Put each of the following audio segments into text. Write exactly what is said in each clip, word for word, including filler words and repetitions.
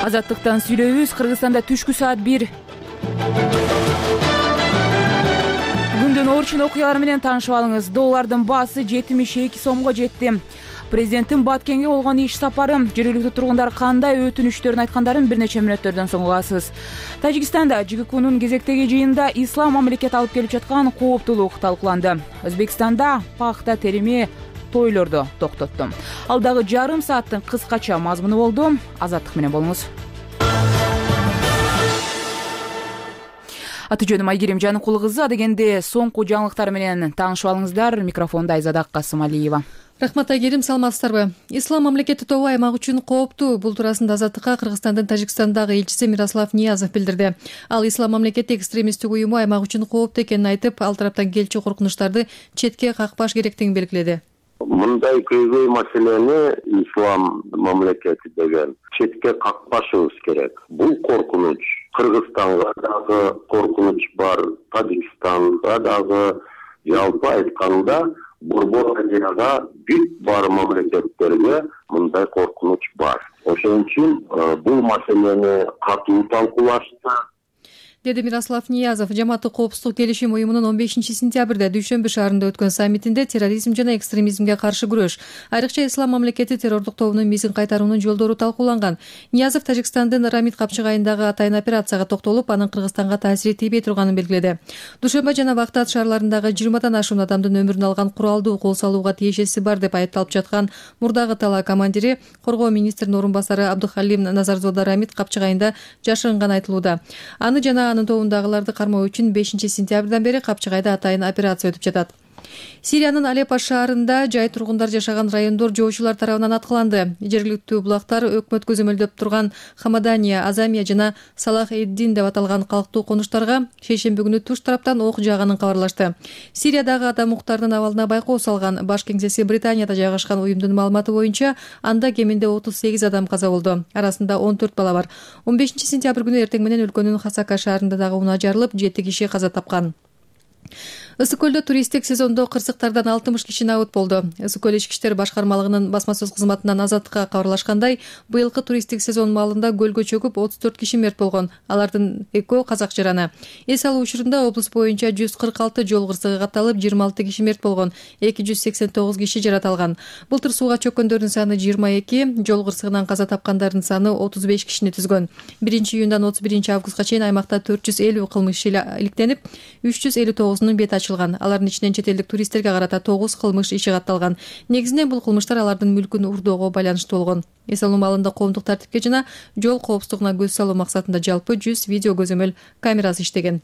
Азаттыктан сүйлөйбүз. Кыргызстанда түшкү саат бир. Күндүн орчун окуялары менен таанышып алыңыз. Доллардын баасы жетимиш эки сомго жетти. Президенттин Баткенге болгон иш сапары. Жергиликтүү тургундар кандай өтүнүчтөрүн айткандарын бир нече мүнөттөрдөн соң угасыз. Тажикстанда ЖККнун кезектеги жыйынында ислам мамлекети алып келип жаткан кооптулук талкууланды. Өзбекстанда пахта терими тойлорду токтотту. Алдагы жарым сааттын кыскача мазмуну болду. Азаттык менен болуңуз. Аты жөнүм Айгерим Жаныкул кызы. Адегенде соңку жаңылыктар менен таанышып алыңыздар. Микрофонда Айзада Касымалиева. Рахмат Айгерим, саламатсыздарбы? Ислам мамлекети тобу аймак үчүн кооптуу. Бул туурасында Азаттыкка Кыргызстандын Тажикстандагы элчиси Мирослав Ниязов билдирди. Ал ислам мамлекети экстремисттик уюму аймак үчүн кооптуу экенин айтып, ал тараптан келчү коркунучтарды четке какпаш керектигин белгиледи. Мындай көйгөй маселени ислам мамлекети деген четке какпашыбыз керек. Бул коркунуч Кыргызстанга дагы коркунуч бар, Тажикстанда дагы, жалпы айтканда Борбор Азияда бүт бар мамлекеттерге мындай коркунуч бар. Ошон үчүн бул маселени катуу талкуулашты, деди Мирослав Ниязов. Жамааттык коопсуздук келишим уюмунун он бешинчи сентябрда Дүйшөмбү шаарында өткөн саммитинде терроризм жана экстремизмге каршы күрөш, айрыкча ислам мамлекети террордук тобунун мизин кайтаруунун жолдору талкууланган. Ниязов Тажикстандын Рамид капчыгайындагы атайын операцияга токтолуп, анын Кыргызстанга таасири тийбей турганын белгиледи. Душанба жана Бактат шаарларындагы жыйырмадан ашуун адамдын өмүрүн алган куралдуу кол салууга тиешеси бар деп айыпталып жаткан мурдагы тала командири, коргоо министринин орун басары Абдухалим Назарзода Рамид капчыгайында жашырынганы айтылууда. Аны жана анын тобундагыларды кармоо үчүн бешинчи сентябрдан бери капчыгайда атайын операция өтүп жатат. Сириянын Алеппо шаарында жай тургундар жашаган райондор жоочулар тарабынан аткыланды. Жергиликтүү булактар өкмөт көзөмөлдөп турган Хамадания, Азамия жана Салах эд-Дин деп аталган калктуу конуштарга шейшемби күнү туш тараптан ок жааганын кабарлашты. Сириядагы адам укуктарынын абалына байкоо салган баш кеңсеси Британияда жайгашкан уюмдун маалыматы боюнча, анда кеминде отуз сегиз адам каза болду. Арасында он төрт бала бар. он бешинчи сентябрь күнү эртең менен өлкөнүн Хасака шаарында дагы унаа жарылып, жети киши каза тапкан. Ысык көлдө туристтик сезондо кырсыктардан алтымыш киши набыт болду. Ысык көл ички иштер башкармалыгынын басма сөз кызматынан Азаттыкка кабарлашкандай, быйылкы туристтик сезон маалында көлгө чөгүп отуз төрт киши мерт болгон. Алардын экөө казак жараны. Эс алуу учурунда облус боюнча жүз кырк алты жол кырсыгы катталып, жыйырма алты киши мерт болгон, эки жүз сексен тогуз киши жараталган. Былтыр сууга чөккөндөрдүн саны жыйырма эки, жол кырсыгынан каза тапкандардын саны отуз беш кишини түзгөн. биринчи июндан отуз биринчи августка чейин аймакта төрт жүз элүү кылмыш иликтенип, үч жүз элүү тогузунун бети ачылган. Алардын ичинен чет элдик туристтерге карата тогуз кылмыш иши катталган. Негизинен бул кылмыштар алардын мүлкүн урдоого байланыштуу болгон. Эс алуу маалында коомдук тартипке жана жол коопсуздугуна көз салуу максатында жалпы жүз видео көзөмөл камерасы иштеген.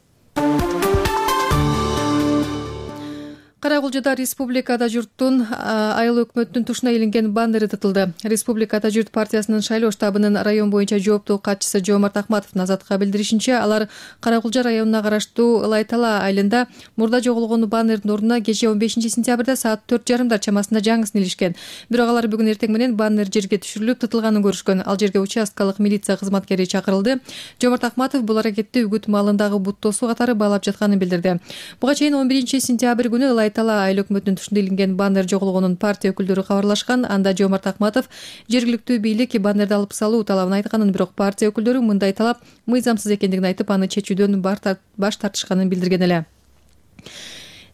Карагулжада республикада журттун айыл өкмөттүн тушуна илинген баннери тытылды. Республикада журт партиясынын шайлоо штабынын район боюнча жооптуу катчысы Жоомарт Акматовдун Азаттыкка билдиришинче, алар Карагулжа районуна караштуу Лайтала айылында мурда жоголгон баннердин ордуна кечээ он бешинчи сентябрда саат төрт жарымдар чамасында жаңысын илишкен. Бирок алар бүгүн эртең менен баннер жерге түшүрүлүп тытылганын көрүшкөн. Ал жерге участкалык милиция кызматкери чакырылды. Жоомарт Акматов бул аракетти үгүт маалындагы бут тосуу катары баалап жатканын билдирди. Буга чейин он биринчи сентябрь күнү Тала айыл өкмөтүнүн тушунда илинген баннер жоголгонун партия өкүлдөрү кабарлашкан. Анда Жоомарт Акматов жергиликтүү бийлик баннерди алып салуу талабын айтканын, бирок партия өкүлдөрү мындай талап мыйзамсыз экендигин айтып, аны чечүүдөн баш тартышканын билдирген эле.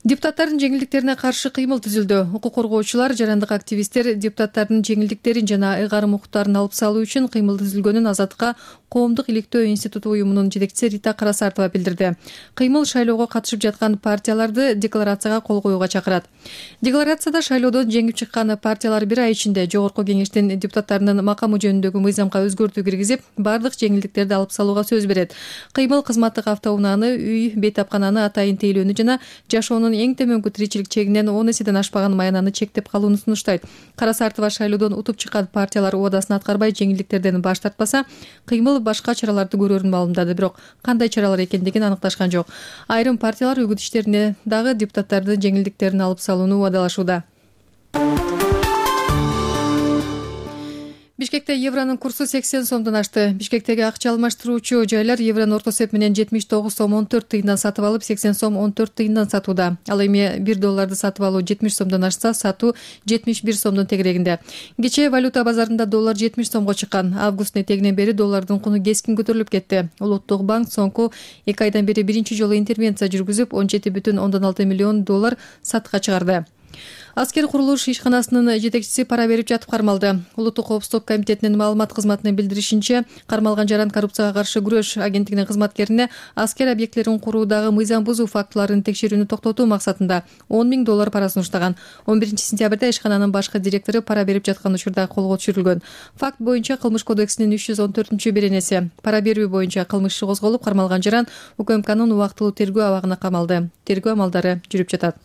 Депутаттардын жеңилдиктерине каршы кыймыл түзүлдү. Укук коргоочулар, жарандык активисттер депутаттардын жеңилдиктерин жана ыйгарым укуктарын алып салуу үчүн кыймыл түзүлгөнүн Азаттыкка Коомдук иликтөө институту уюмунун жетекчиси Рита Карасартова билдирди. Кыймыл шайлоого катышып жаткан партияларды декларацияга кол коюуга чакырат. Декларацияда шайлоодон жеңип чыккан партиялар бир ай ичинде жогорку кеңештин депутаттарынын макамы жөнүндөгү мыйзамга өзгөртүү киргизип, бардык жеңилдиктерди алып салууга сөз берет. Кыймыл кызматтык автоунааны, үй, бейтапкананы, атайын тейлөөнү жана жашоонун эң төмөнкү тиричилик чегинен он эседен ашпаган маянаны чектеп калууну сунуштайт. Карасартова шайлоодон утуп чыккан партиялар убадасын аткарбай жеңилдиктерден баш тартпаса, кыймыл башка чараларды көрөрүн маалымдады, бирок кандай чаралар экендигин аныкташкан жок. Айрым партиялар үгүт иштерине дагы депутаттардын жеңилдиктерин алып салууну убадалашууда. Бишкекте евронун курсу сексен сомдон ашты. Бишкектеги акча алмаштыруучу жайлар еврону орто эсеп менен жетимиш тогуз сом он төрт тыйындан сатып алып, сексен сом он төрт тыйындан сатууда. Ал эми бир долларды сатып алуу жетимиш сомдон ашса, сатуу жетимиш бир сомдун тегерегинде. Кечээ валюта базарында доллар жетимиш сомго чыккан. Августтун этегинен бери доллардын куну кескин көтөрүлүп кетти. Улуттук банк соңку эки айдан бери биринчи жолу интервенция жүргүзүп, он жети бүтүн ондон алты миллион доллар сатыкка чыгарды. Аскер курулуш ишканасынын жетекчиси пара берип жатып кармалды. Улуттук коопсуздук комитетинин маалымат кызматынын билдиришинче, кармалган жаран коррупцияга каршы күрөш агенттигинин кызматкерине аскер объектилерин куруудагы мыйзам бузуу фактыларын текшерүүнү токтотуу максатында он миң доллар парасын уштаган. он биринчи сентябрда ишкананын башкы директору пара берип жаткан учурда колго түшүрүлгөн. Факт боюнча кылмыш кодексинин үч жүз он төртүнчү беренеси пара берүү боюнча кылмыш иши козголуп, кармалган жаран УКМКнын убактылуу тергөө абагына камалды. Тергөө амалдары жүрүп жатат.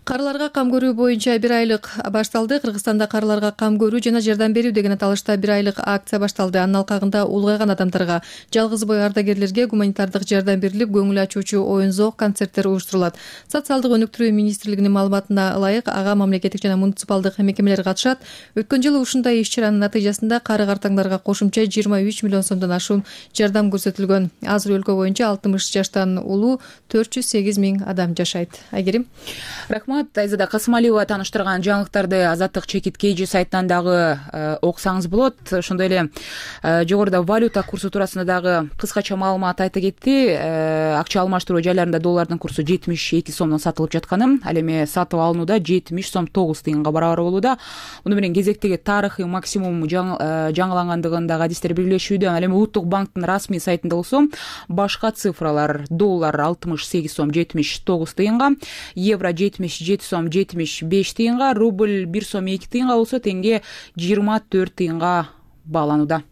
Карыларга кам көрүү боюнча бир айлык башталды. Кыргызстанда карыларга кам көрүү жана жардам берүү деген аталышта бир айлык акция башталды. Анын алкагында улгайган адамдарга, жалгыз бой ардагерлерге гуманитардык жардам берилип, көңүл ачуучу оюн-зоок, концерттер уюштурулат. Социалдык өнүктүрүү министрлигинин маалыматына ылайык, ага мамлекеттик жана муниципалдык мекемелер катышат. Өткөн жылы ушундай иш-чаранын натыйжасында кары картаңдарга кошумча жыйырма үч миллион сомдон ашуун жардам көрсөтүлгөн. Азыр өлкө боюнча алтымыш жаштан улуу төрт жүз сегиз миң адам жашайт. Айгерим. Рахмат. Айзада Касымалиева таныштырган жаңылыктарды Азаттык чекит кей жи сайтынан дагы окусаңыз болот. Ошондой эле жогоруда валюта курсу туурасында дагы кыскача маалымат айта кетти. Акча алмаштыруу жайларында доллардын курсу жетимиш эки сомдон сатылып жатканын, ал эми сатып алынууда жетимиш сом тогуз тыйынга барабар болууда. Муну менен кезектеги тарыхый максимум жаңылангандыгын дагы адистер белгилешүүдө. Ал эми Улуттук банктын расмий сайтында болсо башка цифралар: доллар алтымыш сегиз сом жетимиш тогуз тыйынга, евро жетимиш жети сом жетимиш беш тыйынга, рубль бир сом эки тыйынга болсо теңге жыйырма төрт тыйынга бааланууда.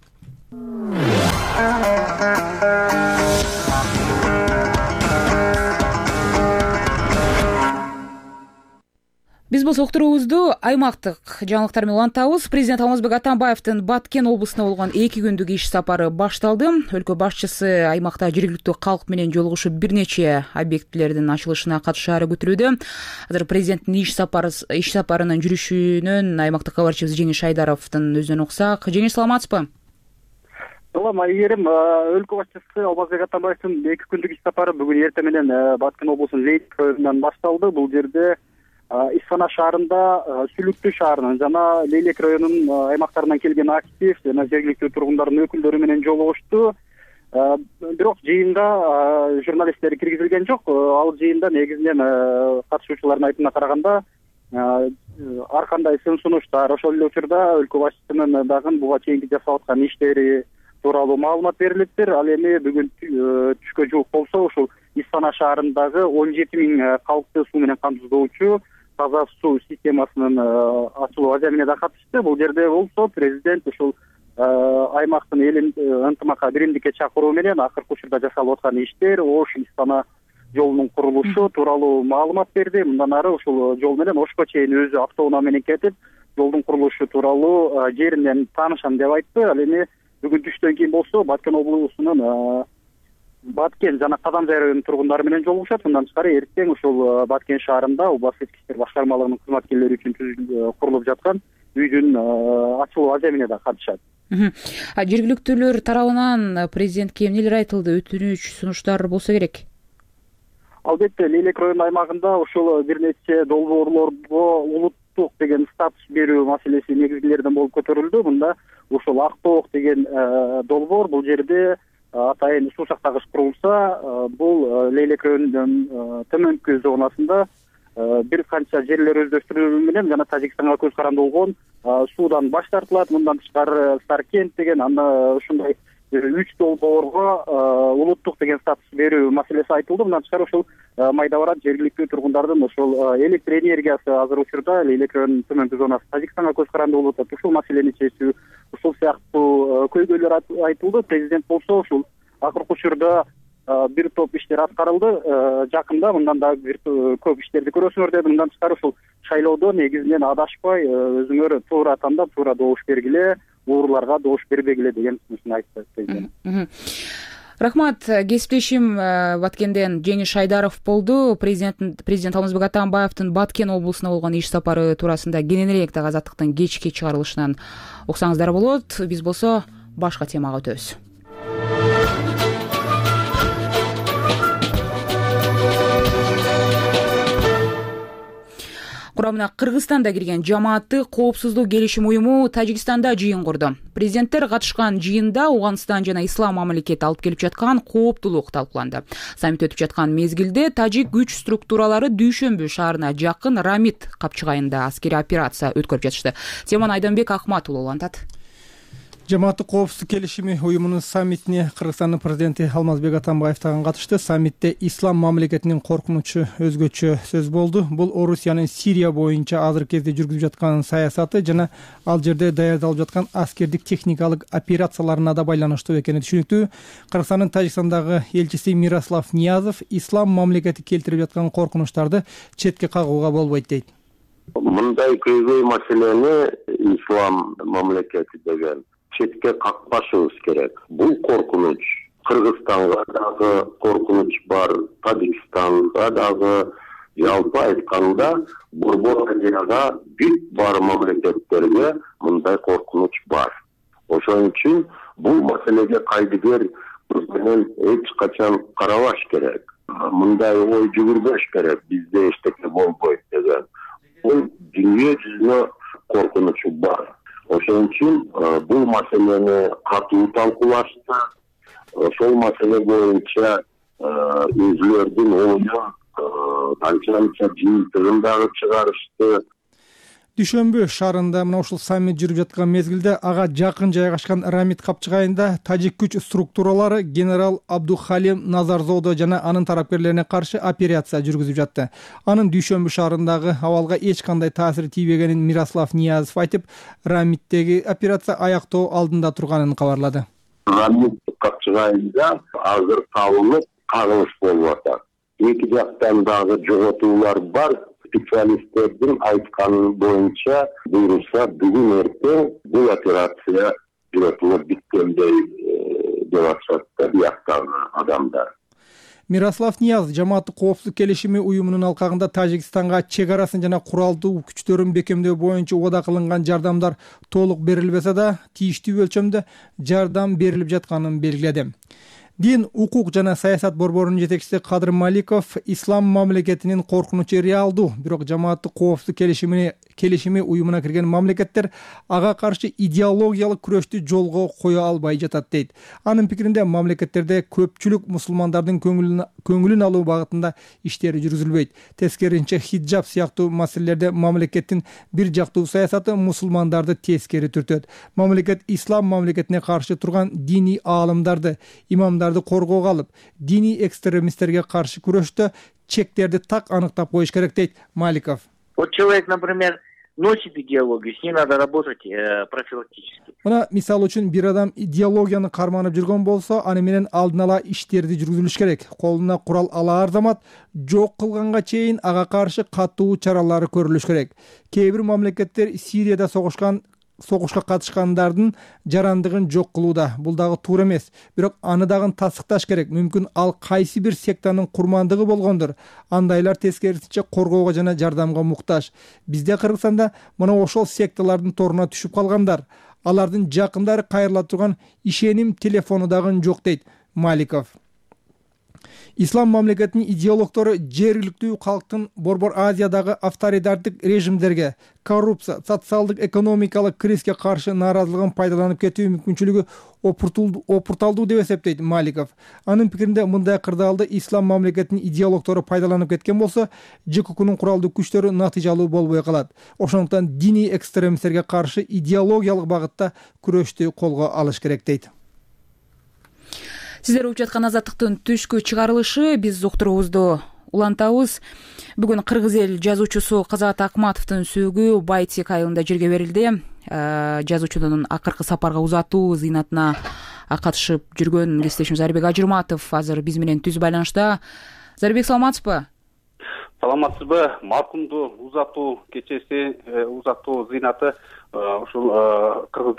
Биз болсо уктуруубузду аймактык жаңылыктар менен улантабыз. Президент Алмазбек Атамбаевдин Баткен облусуна болгон эки күндүк иш сапары башталды. Өлкө башчысы аймакта жергиликтүү калк менен жолугушуп бир нече объектилердин ачылышына катышаары күтүлүүдө. Азыр президенттин иш сапары иш сапарынын жүрүшүнөн аймактык кабарчыбыз Жеңиш Айдаровдун өзүнөн уксак. Жеңиш, саламатсызбы? Салам, Айгерим. Өлкө башчысы Алмазбек Атамбаевдин эки күндүк иш сапары бүгүн эртең менен Баткен облусунун Лейли районунан башталды. Бул жерде Исфана шаарында, Сүлүктүү шаарынын жана Лейлек районунун аймактарынан келген актив жана жергиликтүү тургундардын өкүлдөрү менен жолугушту. Бирок жыйында журналисттер киргизилген жок. Ал жыйында негизинен катышуучулардын айтымына караганда ар кандай сын сунуштар, ошол эле учурда өлкө башчысынын дагы буга чейинки жасап аткан иштери тууралуу маалымат берилиптир. Ал эми бүгүн түшкө жуук болсо ушул Исфана шаарындагы он жети миң калкты суу менен камсыздоочу таза суу системасынын ачылуу аземине да катышты. Бул жерде болсо президент ушул аймактын элин ынтымакка, биримдикке чакыруу менен акыркы учурда жасалып аткан иштер, Ош Исфана жолунун курулушу тууралуу маалымат берди. Мындан ары ушул жол менен Ошко чейин өзү автоунаа менен кетип, жолдун курулушу тууралуу жеринен таанышам деп айтты. Ал эми бүгүн түштөн кийин болсо Баткен облусунун Баткен жана Казанжай районунун тургундары менен жолугушат. Мындан тышкары эртең ушул Баткен шаарында Убас ички иштер башкармалыгынын кызматкерлери үчүн курулуп жаткан үйдүн ачылуу аземине да катышат. Жергиликтүүлөр тарабынан президентке эмнелер айтылды? Өтүнүч, сунуштар болсо керек. Албетте, Лейлек районунун аймагында ушул бир нече долбоорлорго улуттук деген статус берүү маселеси негизгилерден болуп көтөрүлдү. Мында ушул Актоок деген долбоор, бул жерде атайын суу сактагыч курулса, бул Лейлек районунун төмөнкү зонасында бир канча жерлер өздөштүрүү менен жана Тажикстанга көз каранды болгон суудан баш тартылат. Мындан тышкары Саркент деген анда ушундай үч долбоорго улуттук деген статус берүү маселеси айтылды. Мындан тышкары ушул майда барат жергиликтүү тургундардын ушул электр энергиясы азыр учурда Лейлек районунун төмөнкү зонасы Тажикстанга көз каранды болуп атат. Ушул маселени чечүү, ушул сыяктуу көйгөйлөр айтылды. Президент болсо ушул акыркы учурда бир топ иштер аткарылды. Жакында мындан да бир көп иштерди көрөсүңөр деп, мындан тышкары ушул шайлоодо негизинен адашпай өзүңөр туура тандап, туура добуш бергиле, ууруларга добуш бербегиле деген сунушун айтты президент. Рахмат. Кесиптешим Баткенден Жеңиш Шайдаров болду. Президент президент Алмазбек Атамбаевдин Баткен облусуна болгон иш сапары туурасында кененирээк дагы Азаттыктын кечки чыгарылышынан уксаңыздар болот. Биз болсо башка темага өтөбүз. Курамына Кыргызстанда кирген жамааттык коопсуздук келишим уюму Тажикстанда жыйын курду. Президенттер катышкан жыйында Ауганстан жана Ислам мамлекети алып келип жаткан кооптулук талкууланды. Саммит өтүп жаткан мезгилде тажик күч структуралары Дүйшөмбү шаарына жакын Рамит капчыгайында аскерий операция өткөрүп жатышты. Теманы Айданбек Акматулу улантат. Жамааттык коопсуздук келишими уюмунун саммитине Кыргызстандын президенти Алмазбек Атамбаев дагы катышты. Саммитте Ислам мамлекетинин коркунучу өзгөчө сөз болду. Бул Орусиянын Сирия боюнча азыркы кезде жүргүзүп жаткан саясаты жана ал жерде даярдалып жаткан аскердик техникалык операцияларына да байланыштуу экени түшүнүктүү. Кыргызстандын Тажикстандагы элчиси Мирослав Ниязов Ислам мамлекети келтирип жаткан коркунучтарды четке кагууга болбойт дейт. Мындай көйгөй маселени Ислам мамлекети деген четке какпашыбыз керек. Бул коркунуч Кыргызстанга дагы коркунуч бар, Тажикстанга дагы, жалпы айтканда Борбор Азияга бүт бар мамлекеттерге мындай коркунуч бар. Ошон үчүн бул маселеге кайдыгер менен эч качан карабаш керек. Мындай ой жүгүрбөш керек. Бизде эчтеке болбойт деген. Бул дүйнө жүзүнө коркунучу бар. Ошон үчүн бул маселени катуу талкуулашты. Ошол маселе боюнча өзүлөрдүн оюн канча-канча жыйынтыгын дагы чыгарышты. Дүйшөмбү шаарында мына ушул саммит жүрүп жаткан мезгилде ага жакын жайгашкан Рамит капчыгайында тажик күч структуралары генерал Абдухалим Назарзодо жана анын тарапкерлерине каршы операция жүргүзүп жатты. Анын Дүйшөмбү шаарындагы абалга эч кандай таасир тийбегенин Мирослав Ниязов айтып, Рамиттеги операция аяктоо алдында турганын кабарлады. Рамит капчыгайында азыр табылып кагылыш болуп атат. Эки жактан дагы жоготуулар бар. Специалисттердин айтканы боюнча буйрулса бүгүн эртең бул операция жүрөтүлүп биткендей деп атышат да бияктагы адамдар. Мирослав Ниязов жамааттык коопсуздук келишими уюмунун алкагында Тажикстанга чек арасын жана куралдуу күчтөрүн бекемдөө боюнча убада кылынган жардамдар толук берилбесе да тийиштүү өлчөмдө жардам берилип жатканын белгиледи. Дин, укук жана саясат борборунун жетекчиси Кадыр Маликов Ислам мамлекетинин коркунучу реалдуу, бирок жамааттык коопсуздук келишими келишими уюмуна кирген мамлекеттер ага каршы идеологиялык күрөштү жолго кое албай жатат дейт. Анын пикиринде мамлекеттерде көпчүлүк мусулмандардын көңүлүн көңүлүн алуу багытында иштери жүргүзүлбөйт. Тескерисинче хиджаб сыяктуу маселелерде мамлекеттин бир жактуу саясаты мусулмандарды тескери түртөт. Мамлекет ислам мамлекетине каршы турган диний аалымдарды, имамдарды коргоого алып, диний экстремисттерге каршы күрөштө чектерди так аныктап коюш керек дейт Маликов. Вот человек, например, носит идеологию, с ней надо работать э, профилактически. Мына мисал үчүн бир адам идеологияны карманып жүргөн болсо, аны менен алдын ала иштерди жүргүзүлүш керек. Колуна курал алаар замат жок кылганга чейин ага каршы катуу чаралары көрүлүш керек. Кээ бир мамлекеттер Сирияда согушкан согушка катышкандардын жарандыгын жок кылууда. Бул дагы туура эмес. Бирок аны дагы тасыкташ керек. Мүмкүн ал кайсы бир сектанын курмандыгы болгондур. Андайлар тескерисинче коргоого жана жардамга муктаж. Бизде Кыргызстанда мына ошол секталардын торуна түшүп калгандар. Алардын жакындары кайрыла турган ишеним телефону дагы жок дейт Маликов. Ислам мамлекетинин идеологтору жергиликтүү калктын Борбор Азиядагы авторитардык режимдерге, коррупция, социалдык экономикалык кризиске каршы нааразылыгын пайдаланып кетүү мүмкүнчүлүгү опурталдуу деп эсептейт Маликов. Анын пикиринде мындай кырдаалды ислам мамлекетинин идеологтору пайдаланып кеткен болсо, ЖККнун куралдуу күчтөрү натыйжалуу болбой калат. Ошондуктан диний экстремисттерге каршы идеологиялык багытта күрөштү колго алыш керек дейт. Сиздер угуп жаткан Азаттыктын түшкү чыгарылышы, биз уктуруубузду улантабыз. Бүгүн кыргыз эл жазуучусу Казат Акматовдун сөөгү Байтек айылында жерге берилди. Жазуучунун акыркы сапарга узатуу зыйнатына катышып жүргөн кесиптешим Зарбек Ажырматов азыр биз менен түз байланышта. Зарбек, саламатсызбы? саламатсызбы? Маркумду узатуу кечеси, узатуу зыйнаты ушул Кыргыз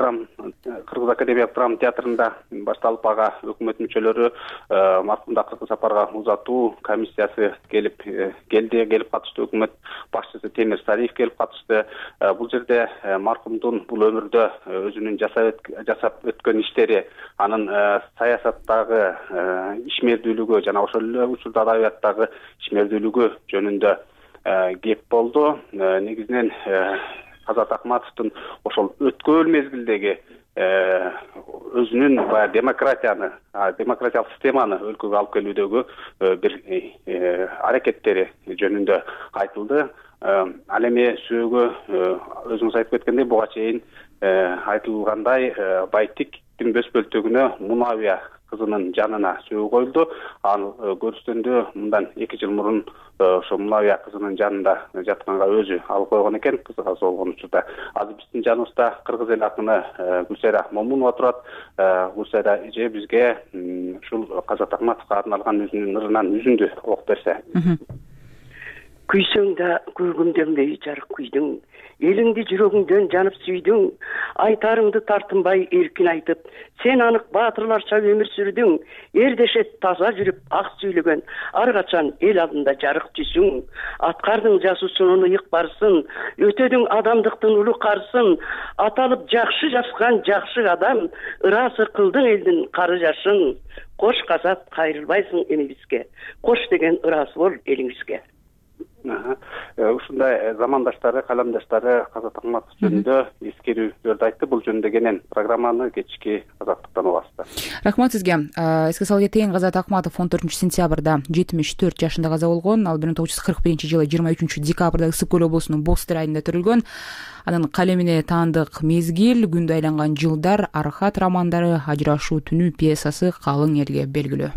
Кыргыз академиялык драма театрында башталып, ага өкмөт мүчөлөрү маркумду акыркы сапарга узатуу комиссиясы келип келди, келип катышты. Өкмөт башчысы Темир Сариев келип катышты. Бул жерде маркумдун бул өмүрдө өзүнүн жасап өткөн иштери, анын саясаттагы ишмердүүлүгү жана ошол эле учурда адабияттагы ишмердүүлүгү жөнүндө кеп болду. Негизинен Азат Акматовдун ошол өткөн мезгилдеги өзүнүн баягы демократияны, демократиялык системаны өлкөгө алып келүүдөгү бир аракеттери жөнүндө айтылды. Ал эми сөөгө өзүңүз айтып кеткендей, буга чейин айтылгандай Байтиктин бөс бөлтөгүнө Мунавия кызынын жанына сөөгү коюлду. Ал көрүстөндө мындан эки жыл мурун ошо Мунавия кызынын жанында жатканга өзү алып койгон экен, кызы каза болгон учурда. Азыр биздин жаныбызда кыргыз эл акыны Гүлсайра Момунова турат. Гүлсайра эже бизге ушул Азат Акматовго арналган өзүнүн ырынан үзүндү окуп берсе. Күйсөң да күйгүмдөнбөй жарык күйдүң, элиңди жүрөгүңдөн жанып сүйдүң, айтарыңды тартынбай эркин айтып, сен анык баатырларча өмүр сүрдүң, эрдешет таза жүрүп ак сүйлөгөн, ар качан эл алдында жарык түсүң, аткардың жасуусунун ыйык барсын, өтөдүң адамдыктын улуу карсын, аталып жакшы жазган жакшы адам, ырасы кылдың элдин кары жашын, кош казат кайрылбайсың эмибизге, кош деген ырасы бол элиңизге. Ушундай замандаштары, каламдаштары Азат Акматов жөнүндө эскерүүлөрдү айтты. Бул жөнүндө кенен программаны кечки Азаттыктан угасыздар. Рахмат сизге. Эске сала кетейин, Азат Акматов он төртүнчү сентябрда жетимиш төрт жашында каза болгон. Ал бир миң тогуз жүз кырк биринчи жылы жыйырма үчүнчү декабрда Ысык көл облусунун Бостыр айылында төрөлгөн. Анын калемине таандык мезгил, күндү айланган жылдар, Архат романдары, Ажырашуу түнү пьесасы калың элге белгилүү.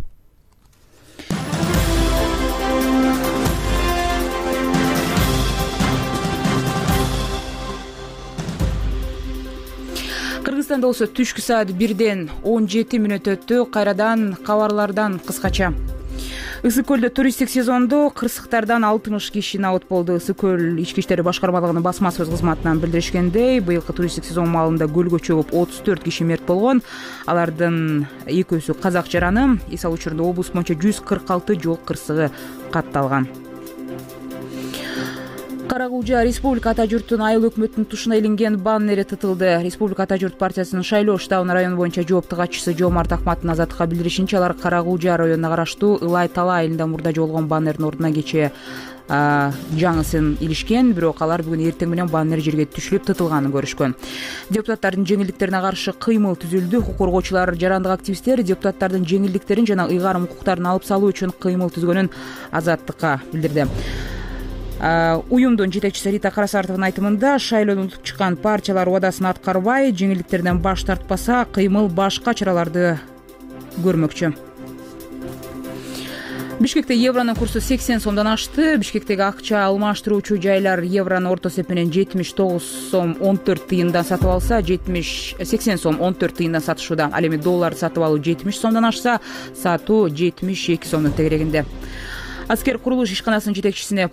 Кыргызстанда болсо түшкү саат бирден он жети мүнөт өттү. Кайрадан кабарлардан кыскача. Ысык көлдө туристтик сезондо кырсыктардан алтымыш киши набыт болду. Ысык көл ички иштер башкармалыгынын басма сөз кызматынан билдиришкендей, быйылкы туристтик сезон маалында көлгө чөгүп отуз төрт киши мерт болгон. Алардын экөөсү казак жараны. Эс алуу учурунда облус боюнча жүз кырк алты жол кырсыгы катталган. Карагулжа Республика ата журттун айыл өкмөттүн тушуна илинген баннери тытылды. Республика ата журт партиясынын Шайлоо штабынын район боюнча жоопту катчысы Жомарт Акматтын Азаттыкка билдиришинче, алар Карагулжа районуна караштуу Ылай Тала айылында мурда жоголгон баннердин ордуна кечээ жаңысын илишкен, бирок алар бүгүн эртең менен баннер жерге түшүлүп тытылганын көрүшкөн. Депутаттардын жеңилдиктерине каршы кыймыл түзүлдү. Укук коргоочулар, жарандык активисттер депутаттардын жеңилдиктерин жана ыйгарым укуктарын алып салуу үчүн кыймыл түзгөнүн Азаттыкка билдирди. Уюмдун жетекчиси Рита Карасартовдун айтымында, шайлоодон утуп чыккан партиялар убадасын аткарбай, жеңилдиктерден баш тартпаса, кыймыл башка чараларды көрмөкчү. Бишкекте евронун курсу сексен сомдон ашты. Бишкектеги акча алмаштыруучу жайлар евронун орто эсеп менен жетимиш тогуз сом он төрт тыйындан сатып алса, жетимиш сексен сом он төрт тыйындан сатышууда. Ал эми долларды сатып алуу жетимиш сомдон ашса, сатуу жетимиш эки сомдун тегерегинде. Аскер курулуш ишканасынын жетекчисине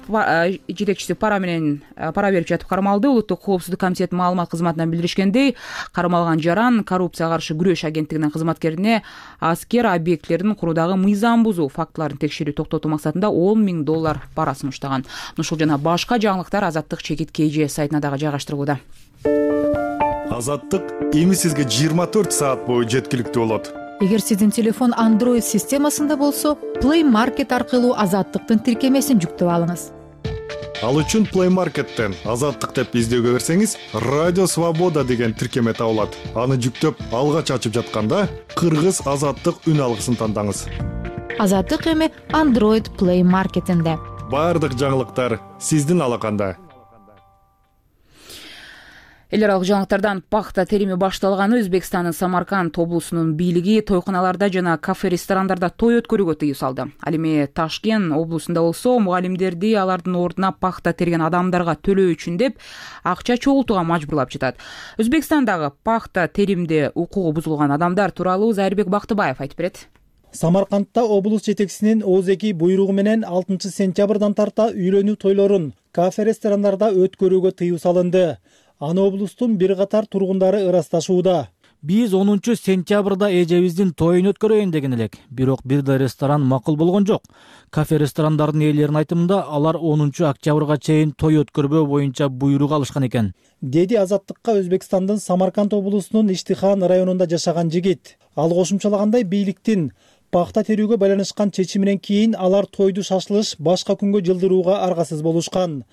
жетекчиси пара менен пара берип жатып кармалды. Улуттук коопсуздук комитетинин маалымат кызматынан билдиришкендей, кармалган жаран коррупцияга каршы күрөш агенттигинин кызматкерине аскер объектилерин куруудагы мыйзам бузуу фактыларын текшерүү токтотуу максатында он миң доллар пара сунуштаган. Ушул жана башка жаңылыктар Азаттык чекит кей же сайтына дагы жайгаштырылууда. Азаттык эми сизге жыйырма төрт саат бою жеткиликтүү болот. Эгер сиздин телефон Android системасында болсо, Play Market аркылуу Азаттыктын тиркемесин жүктөп алыңыз. Ал үчүн Play Market'тен Азаттык деп издөөгө берсеңиз, Радио Свобода деген тиркеме табылат. Аны жүктөп алгач ачып жатканда, Кыргыз Азаттык үн алгысын тандаңыз. Азаттык эми Android Play Market'инде. Бардык жаңылыктар сиздин алаканда. Эл аралык жаңылыктардан пахта терими башталганы. Өзбекстандын Самарканд облусунун бийлиги тойкуналарда жана кафе-ресторандарда той өткөрүүгө тыюу салды. Ал эми Ташкент облусунда болсо, мугалимдерди алардын ордуна пахта терген адамдарга төлөө үчүн деп акча чогултууга мажбурлап жатат. Өзбекстандагы пахта теримде укугу бузулган адамдар тууралуу Зайырбек Бактыбаев айтып берет. Самаркандта облус жетекчисинин ооздеги буйругу менен алтынчы сентябрдан тарта үйлөнүү тойлорун кафе ресторандарда өткөрүүгө тыюу салынды. Аны облустун бир катар тургундары ырасташууда. Биз онунчу сентябрда эжебиздин тоюн өткөрөйүн деген элек, бирок бир да ресторан макул болгон жок. Кафе ресторандардын ээлеринин айтымында алар онунчу октябрга чейин той өткөрбөө боюнча буйрук алышкан экен, деди Азаттыкка Өзбекстандын Самарканд облусунун Иштихан районунда жашаган жигит. Ал кошумчалагандай, бийликтин пахта терүүгө байланышкан чечиминен кийин алар тойду шашылыш башка күнгө жылдырууга аргасыз болушкан.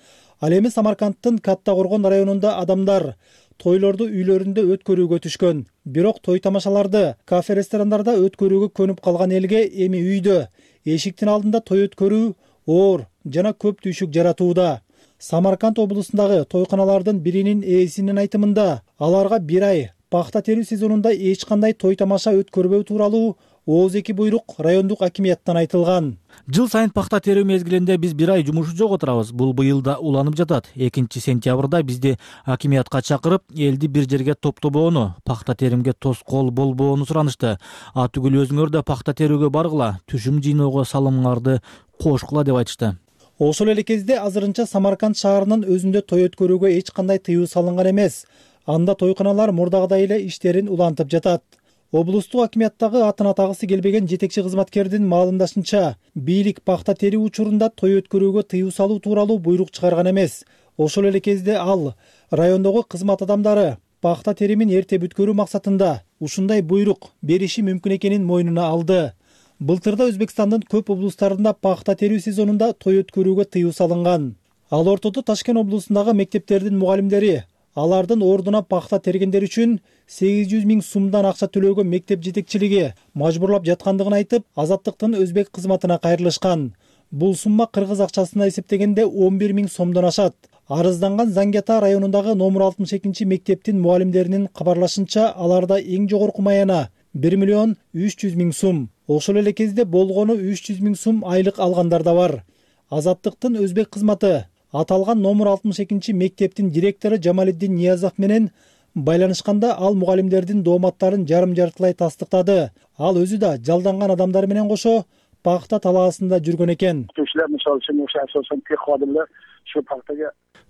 Ал эми Самаркандтын Катта Коргон районунда адамдар тойлорду үйлөрүндө өткөрүүгө түшкөн. Бирок той тамашаларды кафе ресторандарда өткөрүүгө көнүп калган элге эми үйдө эшиктин алдында той өткөрүү оор жана көп түйшүк жаратууда. Самарканд облусундагы тойканалардын биринин ээсинин айтымында, аларга бир ай пахта терүү сезонунда эч кандай той тамаша өткөрбөө тууралуу ооз эки буйрук райондук акимияттан айтылган. Жыл сайын пахта терүү мезгилинде биз бир ай жумуш жок отурабыз. Бул быйыл да уланып жатат. экинчи сентябрда бизди акимиятка чакырып, элди бир жерге топтобоону, пахта теримге тоскоол болбоону суранышты. А түгүл өзүңөр да пахта терүүгө баргыла, түшүм жыйноого салымыңарды кошкула деп айтышты. Ошол эле кезде азырынча Самарканд шаарынын өзүндө той өткөрүүгө эч кандай тыюу салынган эмес. Анда тойканалар мурдагыдай эле иштерин улантып жатат. Облустук акимияттагы атын атагысы келбеген жетекчи кызматкердин маалымдашынча, бийлик пахта терүү учурунда той өткөрүүгө тыюу салуу тууралуу буйрук чыгарган эмес. Ошол эле кезде ал райондогу кызмат адамдары пахта теримин эрте бүткөрүү максатында ушундай буйрук бериши мүмкүн экенин мойнуна алды. Былтырда Өзбекстандын көп облустарында пахта терүү сезонунда той өткөрүүгө тыюу салынган. Ал ортодо Ташкент облусундагы мектептердин мугалимдери алардын ордуна пахта тергендер үчүн сегиз жүз миң сумдан акча төлөөгө мектеп жетекчилиги мажбурлап жаткандыгын айтып, Азаттыктын өзбек кызматына кайрылышкан. Бул сумма кыргыз акчасына эсептегенде он бир миң сомдон ашат. Арызданган Зангиата районундагы номер алтымыш экинчи мектептин мугалимдеринин кабарлашынча, аларда эң жогорку маяна бир миллион үч жүз миң сум. Ошол эле кезде болгону үч жүз миң сум айлык алгандар да бар. Азаттыктын өзбек кызматы аталган номер алтымыш экинчи мектептин директору Жамалиддин Ниязов менен байланышканда, ал мугалимдердин дооматтарын жарым-жартылай тастыктады. Ал өзү да жалданган адамдар менен кошо пахта талаасында жүргөн экен.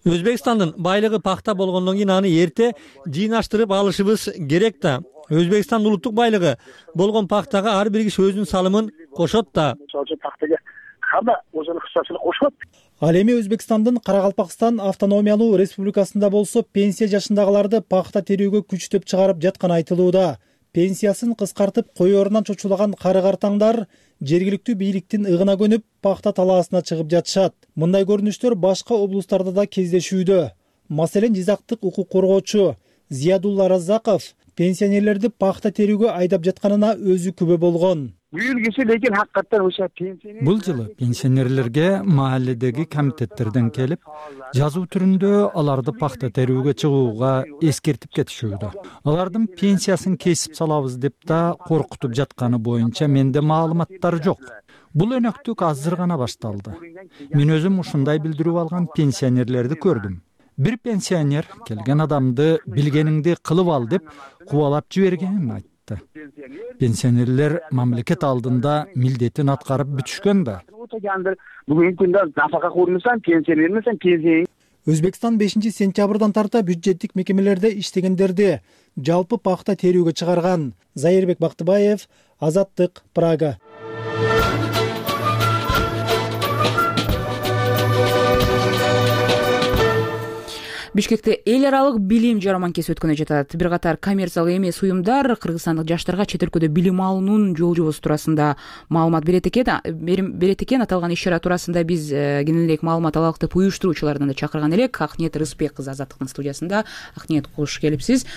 Өзбекстандын байлыгы пахта болгондон кийин аны эрте жыйнаштырып алышыбыз керек да. Өзбекстан улуттук байлыгы болгон пахтага ар бир киши өзүнүн салымын кошот да. Ал эми Өзбекстандын Каракалпакстан автономиялуу республикасында болсо пенсия жашындагыларды пахта терүүгө күчтөп чыгарып жатканы айтылууда. Пенсиясын кыскартып коёрунан чочулаган кары картаңдар жергиликтүү бийликтин ыгына көнүп пахта талаасына чыгып жатышат. Мындай көрүнүштөр башка облустарда да кездешүүдө. Маселен, Жизактык укук коргоочу Зиядулла Раззаков пенсионерлерди пахта терүүгө айдап жатканына өзү күбө болгон. Бул жылы пенсионерлерге маалледеги комитеттерден келип, жазуу түрүндө аларды пахта терүүгө чыгууга эскертип кетишүүдө. Алардын пенсиясын кесип салабыз деп да коркутуп жатканы боюнча менде маалыматтар жок. Бул өнөктүк азыр гана башталды. Мен өзүм ушундай билдирүү алган пенсионерлерди көрдүм. Бир пенсионер келген адамды билгениңди кылып ал деп кубалап жибергенин айтты. Пенсионерлер мамлекет алдында милдетин аткарып бүтүшкөн да. Өзбекстан бешинчи сентябрдан тарта бюджеттик мекемелерде иштегендерди жалпы пахта терүүгө чыгарган. Зайырбек Бактыбаев, Азаттык, Прага. Бишкекте эл аралык билим жарманкеси өткөнү жатат. Бир катар коммерциялык эмес уюмдар кыргызстандык жаштарга чет өлкөдө билим алуунун жол жобосу туурасында маалымат берет экен. Берет экен. Аталган иш-чара туурасында биз кененирээк маалымат алалык деп уюштуруучулардан да чакырган элек. Акниет Рыспек кызы Азаттыктын студиясында. Акниет, кош келипсиз.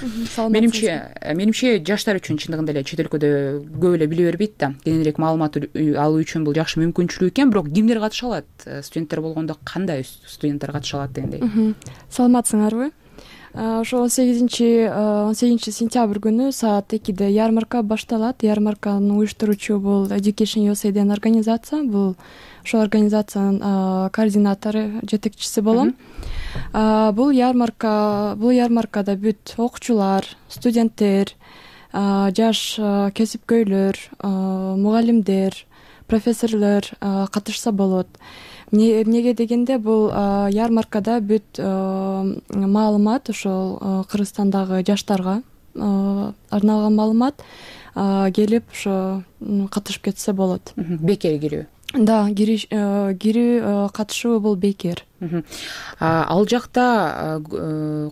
Менимче, менимче жаштар үчүн чындыгында эле чет өлкөдө көп эле биле бербейт да. Кененирээк маалымат алуу үчүн бул жакшы мүмкүнчүлүк экен. Бирок кимдер катыша алат? Студенттер болгондо кандай студенттер катыша алат дегендей. Саламатсыңарбы? Ошо он сегизинчи он сегизинчи сентябрь күнү саат экиде ярмарка башталат. Ярмарканын уюштуруучу бул Education ю эс эй деген организация. Бул ошол организациянын координатору, жетекчиси болом. Бул ярмарка, бул ярмаркада бүт окуучулар, студенттер, жаш кесипкөйлөр, мугалимдер, профессорлор катышса болот. Эмнеге дегенде бул ярмаркада бүт маалымат ошол Кыргызстандагы жаштарга арналган маалымат келип ошо катышып кетсе болот. Бекер кирүү? Да, кирүү катышуу бул бекер. Ал жакта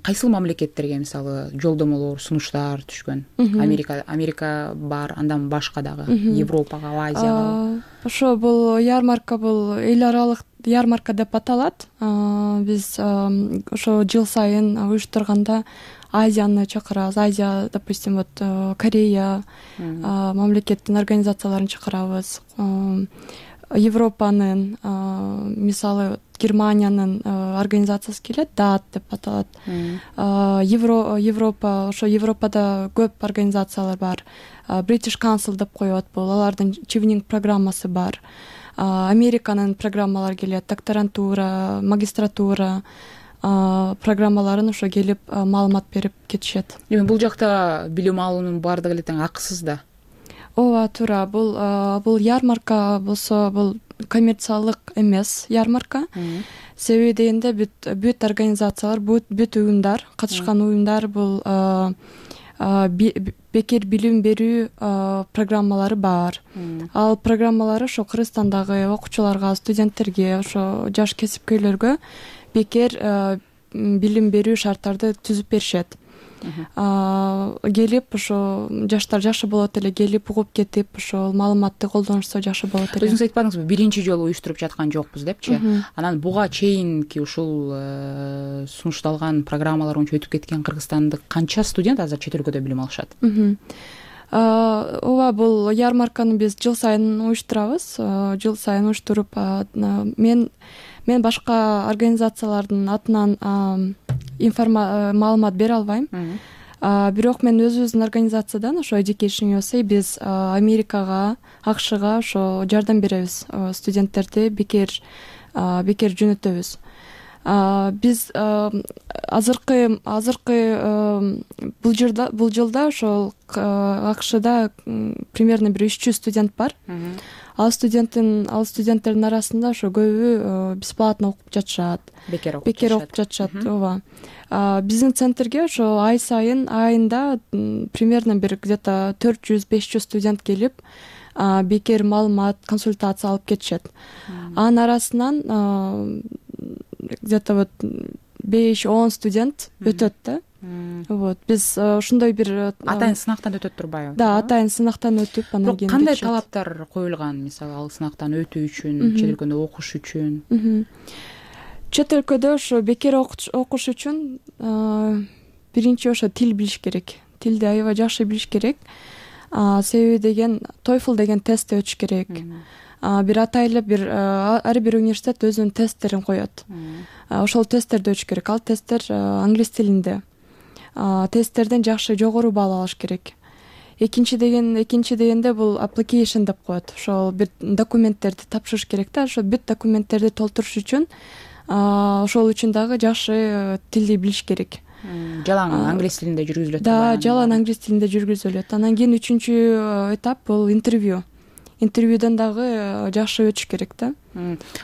кайсыл мамлекеттерге мисалы жолдомолор, сунуштар түшкөн? Америка, Америка бар, андан башка дагы Европага, Азияга? Ошо бул ярмарка бул эл аралык ярмарка деп аталат. Биз ошо жыл сайын уюштурганда Азияны чакырабыз. Азия, допустим, вот Корея мамлекеттин организацияларын чакырабыз. Европанын, мисалы Германиянын организациясы келет, дат деп аталат. Европа, ошо Европада көп организациялар бар. British Council деп коет бул, алардын чивнинг программасы бар. Американын программалары келет, докторантура, магистратура программаларын ошо келип маалымат берип кетишет. Эми бул жакта билим алуунун баардыгы эле тең акысыз да? Ооба, туура. Бул бул ярмарка болсо бул коммерциялык эмес ярмарка. Себеби дегенде бүт бүт организациялар, бүт бүт уюмдар, катышкан уюмдар бул бекер билим берүү программалары бар. Ал программалары ошо Кыргызстандагы окуучуларга, студенттерге, ошо жаш кесипкөйлөргө бекер билим берүү шарттарды түзүп беришет. Келип ошо жаштар жакшы болот эле, келип угуп кетип ошол маалыматты колдонушса жакшы болот эле. Өзүңүз айтпадыңызбы, биринчи жолу уюштуруп жаткан жокпуз депчи? Анан буга чейинки ушул сунушталган программалар боюнча өтүп кеткен кыргызстандык канча студент азыр чет өлкөдө билим алышат? Ооба, бул ярмарканы биз жыл сайын уюштурабыз. Жыл сайын уюштуруп, мен мен башка организациялардын атынан маалымат бере албайм. Бирок мен өзүбүздүн организациядан, ошо Education ю эс эй, биз Америкага, АКШга ошо жардам беребиз. Студенттерди бекер бекер жөнөтөбүз. Биз азыркы азыркы бул жылда бул жылда ошол АКШда примерно бир үч жүз студент бар. Ал студенттин ал студенттердин арасында ошо көбү бесплатно окуп жатышат. Бекер окуп бекер окуп жатышат. Ооба. Биздин центрге ошо ай сайын айында примерно бир где-то төрт жүз беш жүз студент келип бекер маалымат, консультация алып кетишет. Анын арасынан где-то вот беш он студент өтөт да. Вот, биз ошондой бир атайын сынактан өтөт турбайбы? Да, атайын сынактан өтүп, анан кийин кандай талаптар коюлган, мисалы ал сынактан өтүү үчүн, чет өлкөдө окуш үчүн? Чет өлкөдө ошо бекер окуш үчүн биринчи ошо тил билиш керек. Тилди аябай жакшы билиш керек. Себеби деген TOEFL деген тестти өтүш керек. Бир атайлы бир ар бир университет өзүнүн тесттерин коет. Ошол тесттерди өтүш керек. Ал тесттер англис тилинде. Тесттерден жакшы жогору баал алыш керек. Экинчи деген экинчи дегенде бул application деп коет. Ошол бир документтерди тапшырыш керек да. Ошо бүт документтерди толтуруш үчүн ошол үчүн дагы жакшы тилди билиш керек. Жалаң англис тилинде жүргүзүлөт. Да, жалаң англис тилинде жүргүзүлөт. Анан кийин үчүнчү этап бул интервью. Интервьюдөн дагы жакшы өтүш керек да.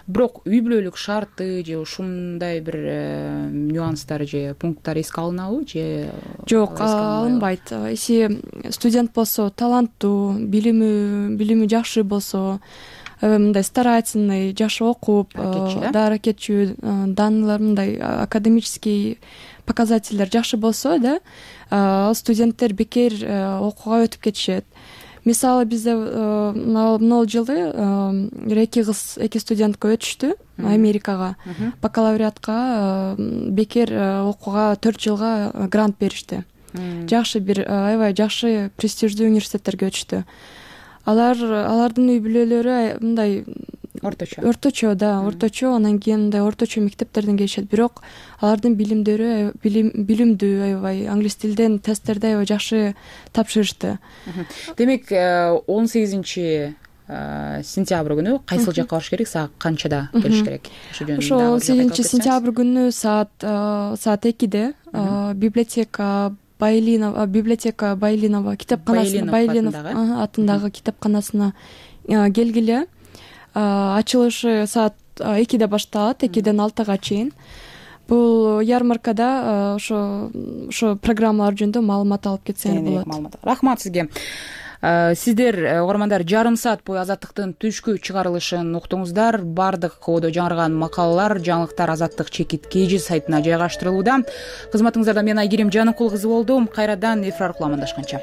Бирок үй бүлөлүк шарты же ушундай бир нюанстар же пункттар эске алынабы же жок, алынбайт. Эси студент болсо, таланттуу, билими билими жакшы болсо, мындай старательный, жакшы окуп, да, аракетчүү, данылар мындай академический показательдер жакшы болсо, да, ал студенттер бекер окууга өтүп кетишет. Мисалы бизде мына жылы эки кыз, эки студентке өтүштү Америкага. Бакалавриатка бекер окууга төрт жылга грант беришти. Жакшы бир аябай жакшы престиждүү университеттерге өтүштү. Алар алардын үй бүлөлөрү мындай орточо. Орточо, да, орточо, анан кийин мындай орточо мектептерден келишет. Бирок алардын билимдери билимдүү, аябай англис тилден тесттерди аябай жакшы тапшырышты. Демек, он сегизинчи сентябрь күнү кайсыл жакка барыш керек, саат канчада келиш керек? Ошо он сегизинчи сентябрь күнү саат саат экиде библиотека Байлинова, библиотека Байлинова китепканасына, Байлинов атындагы китепканасына келгиле. Ачылышы саат экиде башталат, экиден алтыга чейин. Бул ярмаркада ошо ошо программалар жөнүндө маалымат алып кетсеңиз болот. Рахмат сизге. Сиздер угармандар жарым саат бою Азаттыктын түшкү чыгарылышын уктуңуздар. Бардык кодо жаңырган макалалар, жаңылыктар Азаттык чекит kg сайтына жайгаштырылууда. Кызматыңыздарда мен Айгерим Жаныкул кызы болдум. Кайрадан эфир аркылуу амандашканча.